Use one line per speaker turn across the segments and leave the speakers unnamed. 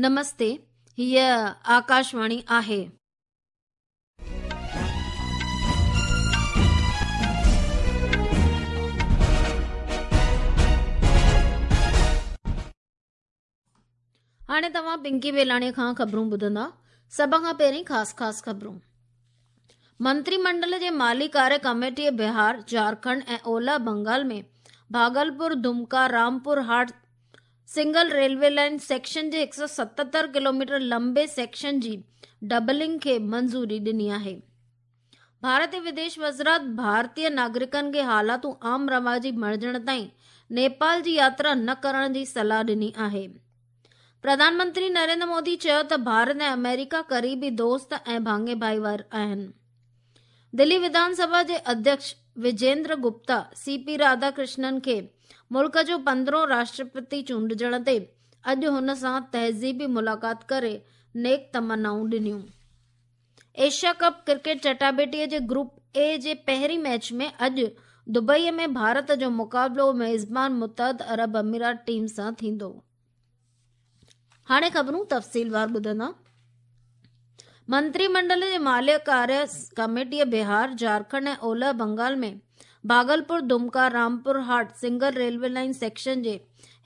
نمستي، هيء آڪاشواڻي آهي. هاڻي توهان پنڪي ويلاڻي کان خبرون ٻڌندا. سڀ کان پهرين خاص خاص خبرون. منتري منڊل جي مالي ڪاري ڪميٽيء بهار، جهارکنڊ ۽ اولهه Bengal ۾ Bhagalpur, Dumka, Rampur Hat single railway line section جي 177 ڪلوميٽر لمبي سيڪشن جي ڊبلنگ کي منظوري ڏني آهي. ڀارتي وديش وزارت ڀارتي ناگرڪن کي حالاتون عام رواجي بڻجڻ تائين نيپال جي ياترا نه ڪرڻ جي صلاح ڏني آهي. پرڌان منتري نريندر مودي چيو ته ڀارت ۽ آمريڪا قريبي دوست ۽ ڀاڱي ڀائيوار آهن. دلي وڌان سڀا جي اڌيڪش وجيندر گپتا سي پي راڌا ڪرشنن کي ملڪ جو پندرهون راشٽرپتي چونڊجڻ تي اڄ هن سان تهذيبي ملاقات ڪري نيڪ تمنائون ڏنيون. ايشيا ڪپ ڪرڪيٽ چٽاڀيٽي جي گروپ اي جي پهرين ميچ ۾ اڄ دبئي ۾ ڀارت جو مقابلو ميزبان متحده عرب امارات ٽيم سان ٿيندو. هاڻي خبرون تفصيلوار ٻڌندا. منتري منڊل جي مالي ڪاري ڪميٽيء بهار، جهارکنڊ ۽ اولهه Bengal ۾ Bhagalpur, Dumka, Rampur Hat single railway line section جي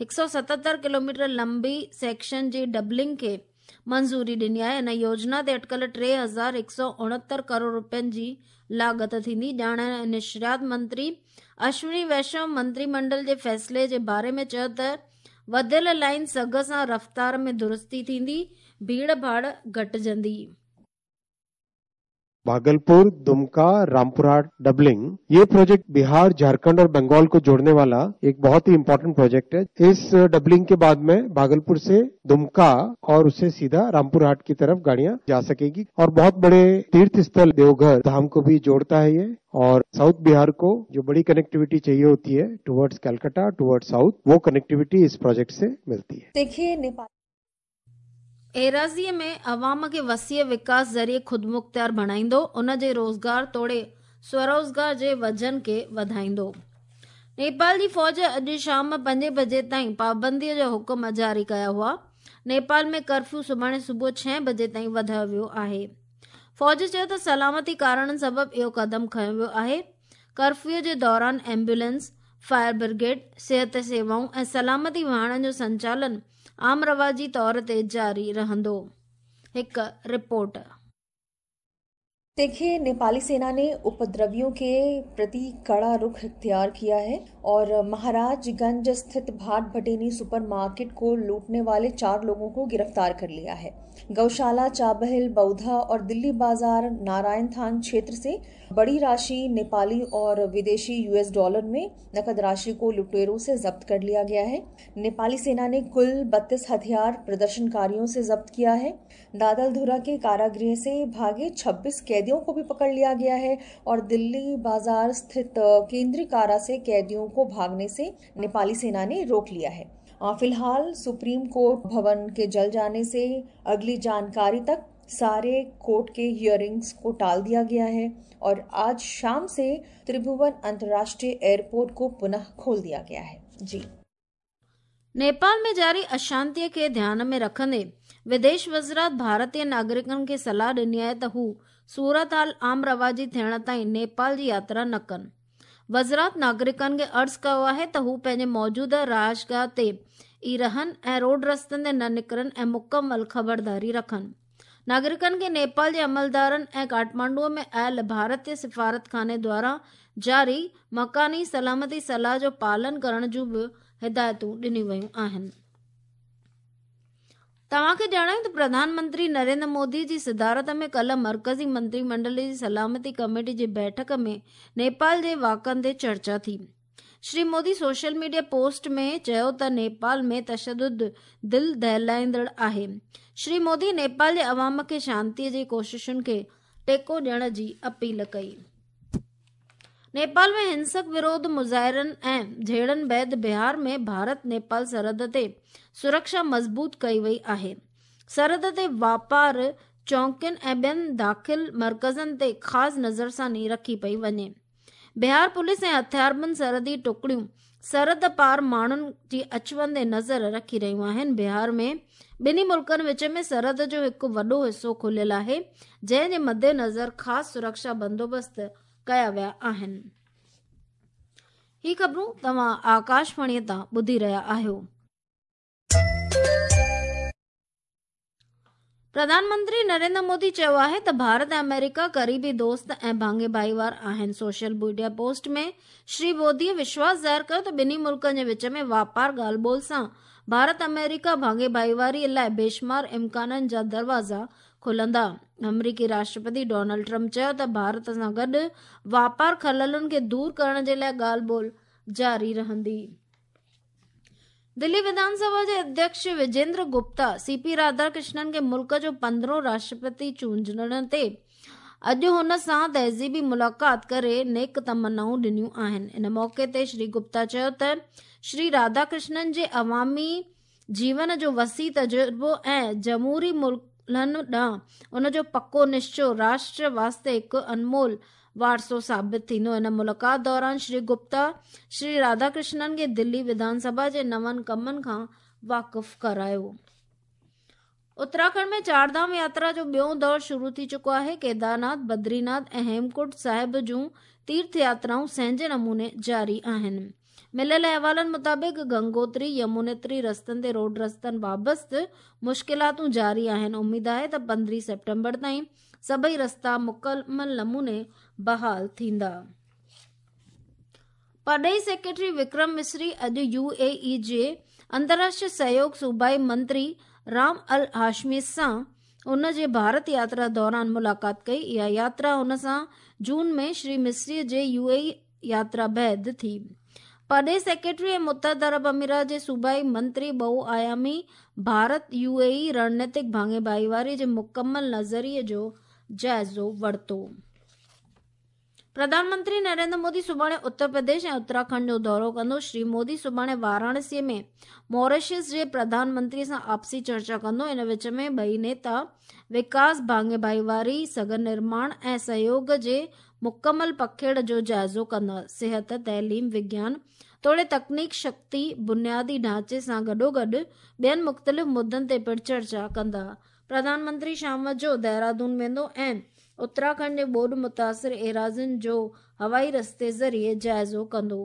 177 ڪلوميٽر لمبي سيڪشن جي ڊبلنگ کي منظوري ڏني آهي. هن يوجنا تي اٽڪل 3169 ڪروڙ رپين جي لاڳت ٿيندي. ڄاڻ ۽ نشريات منتري اشوني ويشنو منتري منڊل جي فيصلي جي باري ۾ چيو ته وڌيل لائين سگهه سان رفتار ۾ درستي ٿيندي، ڀيڙ ڀاڙ گهٽجندي.
भागलपुर दुमका रामपुरहाट डबलिंग ये प्रोजेक्ट बिहार झारखंड और बंगाल को जोड़ने वाला एक बहुत ही इंपॉर्टेंट प्रोजेक्ट है। इस डबलिंग के बाद में भागलपुर से दुमका और उससे सीधा रामपुरहाट की तरफ गाड़ियां जा सकेगी और बहुत बड़े तीर्थ स्थल देवघर धाम को भी जोड़ता है ये और साउथ बिहार को जो बड़ी कनेक्टिविटी चाहिए होती है टुवर्ड्स कलकत्ता टुवर्ड्स साउथ वो कनेक्टिविटी इस प्रोजेक्ट से मिलती है।
देखिए नेपाल
ايراضيء ۾ عوام کي وسيع وڪاس ذريعي خودمختيار بڻائيندو، ان جي روزگار توڙي سوروزگار جي وجهن کي وڌائيندو. نيپال جي فوج اڄ شام پنجين بجي تائين پابنديء جا حڪم جاري ڪيا هئا. نيپال ۾ ڪرفيو سڀاڻي صبح ڇهين بجي تائين وڌايو ويو آهي. فوج چيو ته سلامتي ڪارڻن سبب اهو قدم کنيو ويو آهي. ڪرفيو جي دوران ايمبولينس، فائر برگيڊ، صحت سيوائون ۽ سلامتي واهڻن جو سنچالن عام رواجي طور تي جاري رهندو. هڪ رپورٽ.
देखिए नेपाली सेना ने उपद्रवियों के प्रति कड़ा रुख इख्तियार किया है और महाराजगंज स्थित भाट भटेनी सुपरमार्केट को लूटने वाले 4 लोगों को गिरफ्तार कर लिया है। गौशाला, चाबहिल, बौधा और दिल्ली बाजार नारायण थान क्षेत्र से बड़ी राशि नेपाली और विदेशी यूएस डॉलर में नकद राशि को लुटेरों से जब्त कर लिया गया है। नेपाली सेना ने कुल 32 हथियार प्रदर्शनकारियों से जब्त किया है। दादलधुरा के कारागृह से भागे 26 कैदियों को भी पकड़ लिया गया है और दिल्ली बाजार स्थित केंद्रीय कारा से कैदियों को भागने से नेपाली सेना ने रोक लिया है। फिलहाल सुप्रीम कोर्ट भवन के जल जाने से अगली जानकारी तक सारे कोर्ट के हियरिंग्स को टाल दिया गया है और आज शाम से त्रिभुवन अंतर्राष्ट्रीय एयरपोर्ट को पुनः खोल दिया गया है। जी
नेपाल ۾ جاري اشانتيء کي ڌيان ۾ رکندي وديش وزارت ڀارتي ناگرڪن کي صلاح ڏني آهي ته هو صورتحال عام رواجي ٿيڻ تائين نيپال جي ياترا نه ڪن. وزارت ناگرڪن کي عرض ڪيو آهي ته هو پنهنجي موجوده رهائشگاهه تي ئي رهن ۽ روڊ رستن تي نه نڪرن ۽ مڪمل خبرداري رکن. ناگرڪن کي نيپال جي عملدارن ۽ ڪاٺمانڊو ۾ آيل ڀارتي سفارتخاني دواران جاري مڪاني سلامتي صلاح جو پالن ڪرڻ جون به هدايتون ڏنيون ويون آهن. توهان کي ڄاڻايون ته پرڌان منتري نريندر مودي جي صدارت ۾ ڪلهه مرڪزي منتري منڊل جي سلامتي ڪميٽي جي بيٺڪ ۾ نيپال جي واقعن تي چرچا ٿي. Shri Modi social media post ۾ چيو ته نيپال ۾ تشدد دل دهلائيندڙ آهي. شري مودي نيپال جي عوام کي شانتي جي ڪوششن کي ٽيڪو ڏيڻ جي اپيل ڪئي. نيپال ۾ هنسڪ وروڌ مظاهرن ۽ جهيڙن بعد بهار ۾ ڀارت نيپال سرحد تي سرڪشا مضبوط ڪئي وئي آهي. سرحد تي واپار چونڪين ۽ ٻين داخل مرڪزن تي خاص نظرثاني رکي پئي وڃي. بهار پوليس ۽ هٿياربند سرحدي ٽڪڙيون سرحد پار ماڻهن جي اچ وڃ تي نظر رکي رهيون آهن. بهار ۾ ٻنهي ملڪن وچ ۾ سرحد جو هڪ وڏو حصو کليل آهي، جنهن جي مدنظر خاص سرڪشا بندوبست ڪيا ويا آهن. هي خبرون توهان آڪاشواڻي تان ٻڌي رهيا آهيو. پرڌان منتري نريندر مودي چيو آهي ته ڀارت ۽ آمريڪا قريبي دوست ۽ ڀاڱي ڀائيوار آهن. Social media post ۾ Shri Modi وشواس ظاهر ڪيو ته ٻنهي ملڪن جي وچ ۾ واپار ڳالهه ٻولهه سان ڀارت آمريڪا ڀاڱي ڀائيواري لاء بيشمار امڪانن جا دروازا کلندا. آمريڪي راشٽرپتي ڊونلڊ ٽرمپ چيو ته ڀارت سان گڏ واپار خللن کي دور ڪرڻ جي لاء ڳالهه ٻولهه جاري رهندي. دلي وڌان سڀا جي اڌيڪش وجيندر گپتا سي پي راڌاڪرشنن کي ملڪ جو پندرهون راشٽرپتي چونڊجڻ تي اڄ هن سان تهذيبي ملاقات ڪري نيڪ تمنائون ڏنيون آهن. ان موقعي تي شري گپتا چيو ته شري راڌاڪرشنن جي عوامي جيون جو وسيع تجربو ۽ جمهوري ملهن ڏانهن ان جو پڪو نشچو راشٽر واسطي هڪ انمول وارثو ثابت ٿيندو. ان ملاقات دوران شري گپتا شري راڌاڪرشنن کي دلي وڌان سڀا جي نون ڪمن کان واقف ڪرايو. اتراکنڊ ۾ چار ڌام ياترا جو ٻيون دور شروع ٿي چڪو آهي. ڪيدارناٿ، بدريناٿ ۽ هيمڪنڊ صاحب جون تيرٿ ياترائون سهنجي نموني جاري آهن. مليل احوالن مطابق گنگوتري، يمونيتري رستن تي روڊ رستن بابت مشڪلاتون جاري آهن. اميد آهي ته 15 سيپٽمبر تائين سڀئي رستا مڪمل نموني بحال ٿيندا. پرڏيهي سيڪريٽري وڪرم مصري اڄ يو اي اي جي انترراشٽريه سهيوگ صوبائي منتري رام الهاشمي سان ان جي ڀارت ياترا دوران ملاقات ڪئي. اها ياترا هن سان جون ۾ شري مصري جي يو اي اي ياترا بعد ٿي. پرڏيهي سيڪريٽري ۽ متحده عرب امارات جي صوبائي منتري ٻه آيامي ڀارت يو اي اي رڻنيتڪ ڀاڱي ڀائيواري جي مڪمل نظريي جو جائزو ورتو. پرڌان منتري نريندر مودي سڀاڻي اتر پرديش ۽ اتراکنڊ جو دورو ڪندو. شري مودي سڀاڻي واراڻسي ۾ ماريشس جي پرڌان منتري سان آپسي چرچا ڪندو. ان وچ ۾ ٻئي نيتا وڪاس، ڀاڱي ڀائيواري، سگهه نرماڻ ۽ سهيوڳ جي مڪمل پکيڙ جو جائزو ڪندا. صحت، تعليم، وگيان توڙي تڪنيڪ، شڪتي، بنيادي ڍانچي سان گڏوگڏ ٻين مختلف مدن تي پڻ چرچا ڪندا. پرڌان منتري شام جو دهرادون ويندو ۽ اتراکنڊ جي ٻوڏ متاثر ايراضين جو هوائي رستي ذريعي جائزو ڪندو.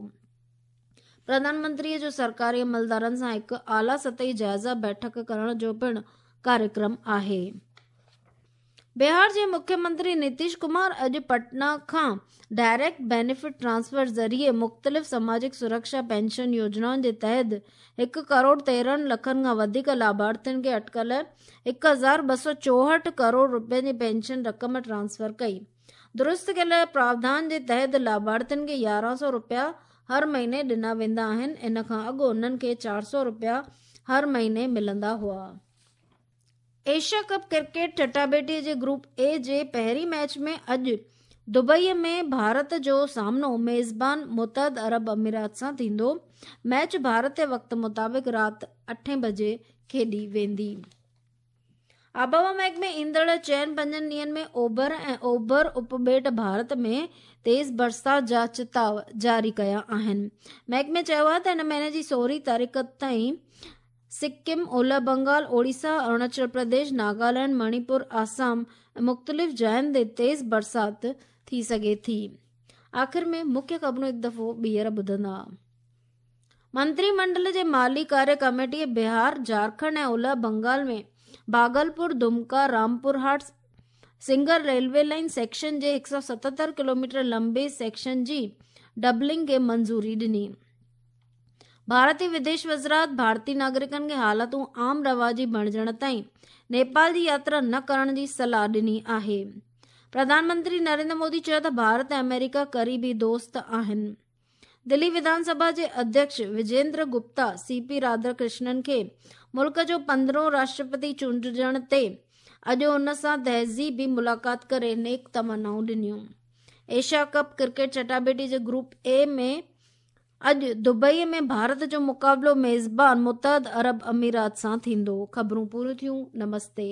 پرڌان منتري جو سرڪاري عملدارن سان هڪ اعليٰ سطحي جائزه بيٺڪ ڪرڻ جو پڻ ڪاريڪرم آهي. بهار جي مکيه منتري نتيش ڪمار اڄ پٽنا کان ڊائريڪٽ بينيفٽ ٽرانسفر ذريعي مختلف سماجڪ سرڪشا پينشن يوجنائن جي تحت هڪ ڪروڙ 13 لکن کان وڌيڪ لاڀارٿين کي اٽڪل 1264 ڪروڙ رپين جي پينشن رقم ٽرانسفر ڪئي. درست ڪيل پراوڌان جي تحت لاڀارٿين کي 1100 رپيا هر مهيني ڏنا ويندا آهن، ان کان اڳ انهن کي 400 رپيا هر مهيني ملندا هئا. ايشيا ڪپ ڪرڪيٽ چٽاڀيٽي جي گروپ اي جي پهرين ميچ ۾ اڄ دبئي ۾ ڀارت جو سامنو ميزبان متحده عرب امارات سان ٿيندو. ميچ ڀارتي وقت مطابق رات اٺين بجي کيڏي ويندي. آبهوا محڪمي ايندڙ چئن پنجن ڏينهن ۾ اوڀر ۽ اوڀر اپٻيٽ ڀارت ۾ تيز برسات جا چتاء جاري ڪيا آهن. محڪمي چيو آهي ته هن مهيني جي 16 تاريخ تائين سڪم، اولهه بنگال، اوڙيسا، اروناچل پرديش، ناگالينڊ، مڻيپور، آسام ۽ مختلف جاين تي تيز برسات ٿي سگهي ٿي. آخر ۾ مکيه خبرون هڪ دفعو ٻيهر ٻڌندا. منتري منڊل جي مالي ڪاريه ڪميٽيء بهار، جهارکنڊ ۽ اولهه Bengal ۾ Bhagalpur, Dumka, Rampurhat, Singur railway line section جي 177 ڪلوميٽر لنبي سيڪشن جي ڊبلنگ کي منظوري ڏني. ڀارتي وديش وزارت ڀارتي ناگرڪن کي حالتون عام رواجي بڻجڻ تائين نيپال جي ياترا نه ڪرڻ جي صلاح ڏني آهي. پرڌان منتري نريندر مودي چيو ته ڀارت ۽ آمريڪا قريبي دوست آهن. دلي وڌان سڀا جي اڌيڪش وجيندر گپتا سي پي راڌاڪرشنن کي ملڪ جو پندرهون راشٽرپتي چونڊجڻ تي اڄ ان سان تهذيبي ملاقات ڪري نيڪ تمنائون ڏنيون. ايشيا ڪپ ڪرڪيٽ چٽاڀيٽي جي گروپ اي ۾ اڄ دبئي ۾ ڀارت جو مقابلو ميزبان متحده عرب امارات سان ٿيندو. خبرون پوريون ٿيون. نمستي.